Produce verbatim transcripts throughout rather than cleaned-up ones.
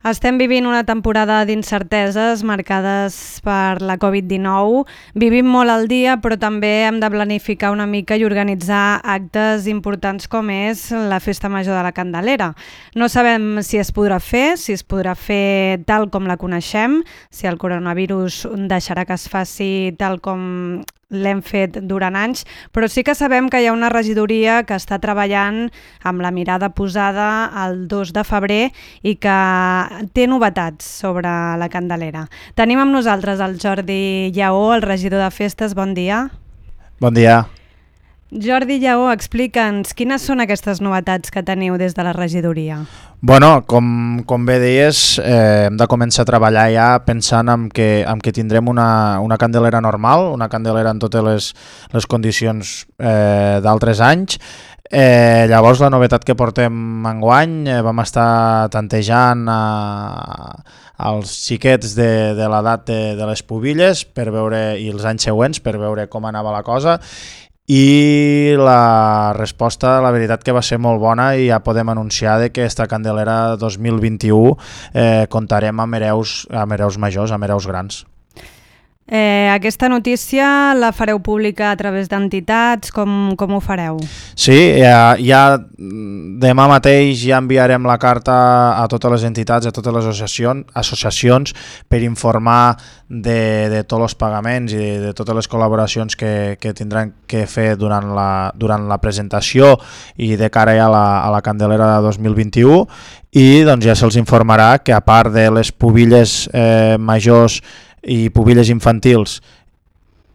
Estem vivint una temporada d'incerteses marcades per la covid dinou. Vivim molt al dia, però també hem de planificar una mica i organitzar actes importants com és la Festa Major de la Candelera. No sabem si es podrà fer, si es podrà fer tal com la coneixem, si el coronavirus deixarà que es faci tal com l'hem fet durant anys, però sí que sabem que hi ha una regidoria que està treballant amb la mirada posada el dos de febrer i que té novetats sobre la Candelera. Tenim amb nosaltres el Jordi Lleó, el regidor de festes. Bon dia. Bon dia. Jordi Lleó, explica'ns quines són aquestes novetats que teniu des de la regidoria. Bueno, com, com bé deies, eh, hem de començar a treballar ja pensant en que, en que tindrem una, una candelera normal, una candelera en totes les, les condicions eh, d'altres anys. Eh, llavors la novetat que portem enguany, eh, vam estar tantejant a, als xiquets de, de l'edat de, de les pubilles per veure, i els anys següents per veure com anava la cosa, i la resposta, la veritat que va ser molt bona, i ja podem anunciar de que esta Candelera dos mil vint-i-u eh, comptarem amb hereus, amb hereus majors, amb hereus grans. Eh, aquesta notícia la fareu pública a través d'entitats? Com, com ho fareu? Sí, ja, ja demà mateix ja enviarem la carta a totes les entitats, a totes les associacions, associacions per informar de, de tots els pagaments i de, de totes les col·laboracions que, que tindran que fer durant la, durant la presentació i de cara ja a la, a la Candelera de dos mil vint-i-u, i doncs ja se'ls informarà que a part de les pubilles eh, majors i pubilles infantils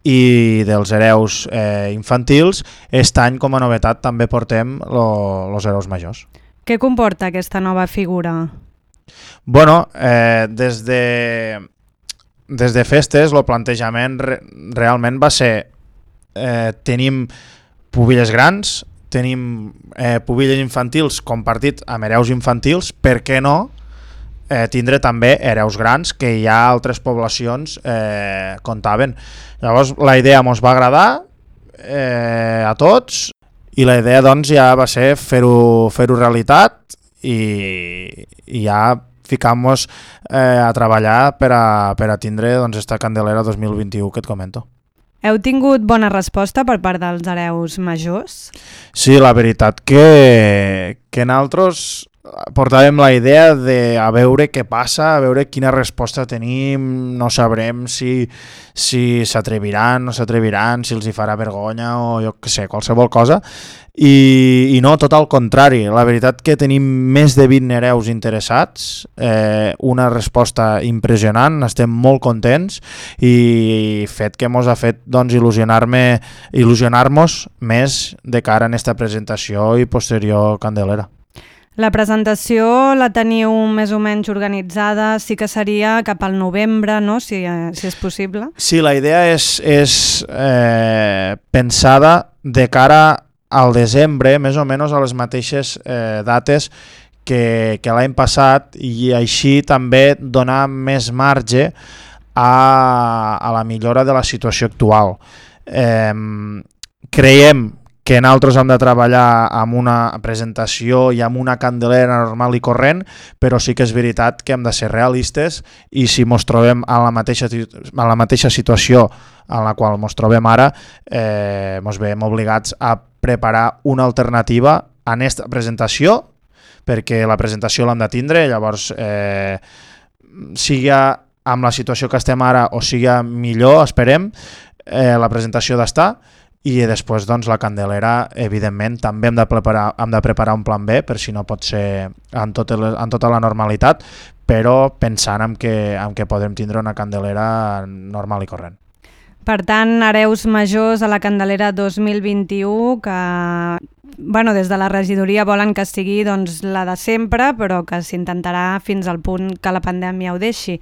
i dels hereus eh, infantils, aquest any com a novetat també portem els hereus majors. Què comporta aquesta nova figura? Bueno, eh, des de, des de festes el plantejament re, realment va ser eh, tenim pubilles grans, tenim eh, pubilles infantils compartit amb hereus infantils, per què no Eh, tindre també hereus grans que ja altres poblacions eh, comptaven. Llavors la idea ens va agradar eh, a tots, i la idea doncs ja va ser fer-ho fer-ho realitat i, i ja ficar-nos eh, a treballar per a, per a tindre doncs, esta Candelera dos mil vint-i-u que et comento. Heu tingut bona resposta per part dels hereus majors? Sí, la veritat que, que nosaltres portàvem la idea de a veure què passa, a veure quina resposta tenim, no sabrem si si s'atreviran, no s'atreviran, si els hi farà vergonya o jo què sé, qualsevol cosa. I, i no, tot al contrari, la veritat que tenim més de vint hereus interessats, eh, una resposta impressionant, estem molt contents, i fet que mos ha fet doncs, il·lusionar-me, il·lusionar-nos més de cara en esta presentació i posterior Candelera. La presentació la teniu més o menys organitzada, sí que seria cap al novembre, no? si, si és possible. Sí, la idea és, és eh, pensada de cara al desembre, més o menys a les mateixes eh, dates que, que l'any passat, i així també donar més marge a, a la millora de la situació actual. Eh, creiem que nosaltres hem de treballar amb una presentació i amb una candelera normal i corrent, però sí que és veritat que hem de ser realistes, i si ens trobem a la mateixa, a la mateixa situació en la qual ens trobem ara, eh, ens veiem obligats a preparar una alternativa a aquesta presentació, perquè la presentació l'hem de tindre, llavors eh, sigui amb la situació que estem ara o sigui millor, esperem, eh, la presentació d'estar. I després doncs, la Candelera, evidentment, també hem de, preparar, hem de preparar un plan B, per si no pot ser en, tot el, en tota la normalitat, però pensant en que, en que podem tindre una Candelera normal i corrent. Per tant, hereus majors a la Candelera dos mil vint-i-u, que bueno, des de la regidoria volen que sigui doncs, la de sempre, però que s'intentarà fins al punt que la pandèmia ho deixi.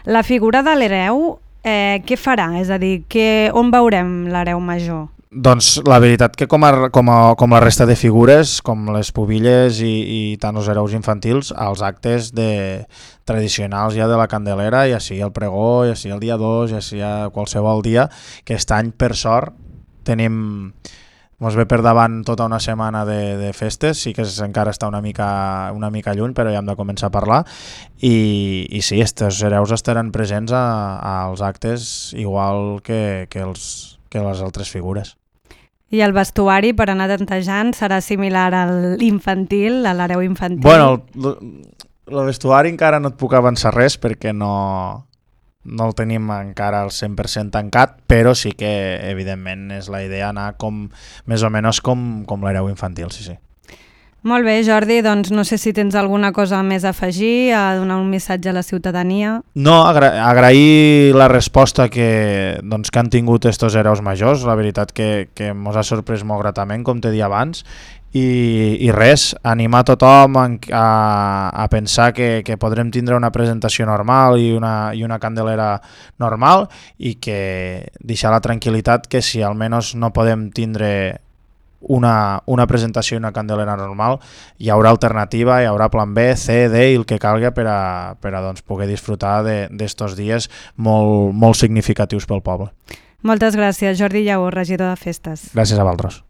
La figura de l'hereu, eh, què farà? És a dir, que, on veurem l'hereu major? Doncs la veritat que com, a, com, a, com la resta de figures, com les pubilles i, i tant els hereus infantils, als actes de, tradicionals ja de la Candelera, ja sigui el pregó, ja sigui el dia dos, ja sigui qualsevol dia, que aquest any per sort tenim, mos ve per davant tota una setmana de, de festes, sí que és, encara està una mica, una mica lluny, però ja hem de començar a parlar, i, i sí, estos hereus estaran presents a, als actes igual que, que, els, que les altres figures. I el vestuari per anar tantejant serà similar a l'infantil, a l'hereu infantil? Bueno, el, el vestuari encara no et puc avançar res perquè no... no el tenim encara al cent per cent tancat, però sí que evidentment és la idea anar com més o menys com, com l'hereu infantil, sí, sí. Molt bé, Jordi, doncs no sé si tens alguna cosa més a afegir, a donar un missatge a la ciutadania. No, agra agrair la resposta que, doncs, que han tingut estos hereus majors, la veritat que, que mos ha sorprès molt gratament, com t'he dit abans, I, i res, animar tothom a, a, a pensar que, que podrem tindre una presentació normal i una, i una candelera normal, i que deixar la tranquil·litat que si almenys no podem tindre una, una presentació i una candelera normal, hi haurà alternativa, hi haurà plan B, C, D i el que calga per a, per a doncs, poder disfrutar d'estos dies molt, molt significatius pel poble. Moltes gràcies, Jordi Lleó, regidor de Festes. Gràcies a vosaltres.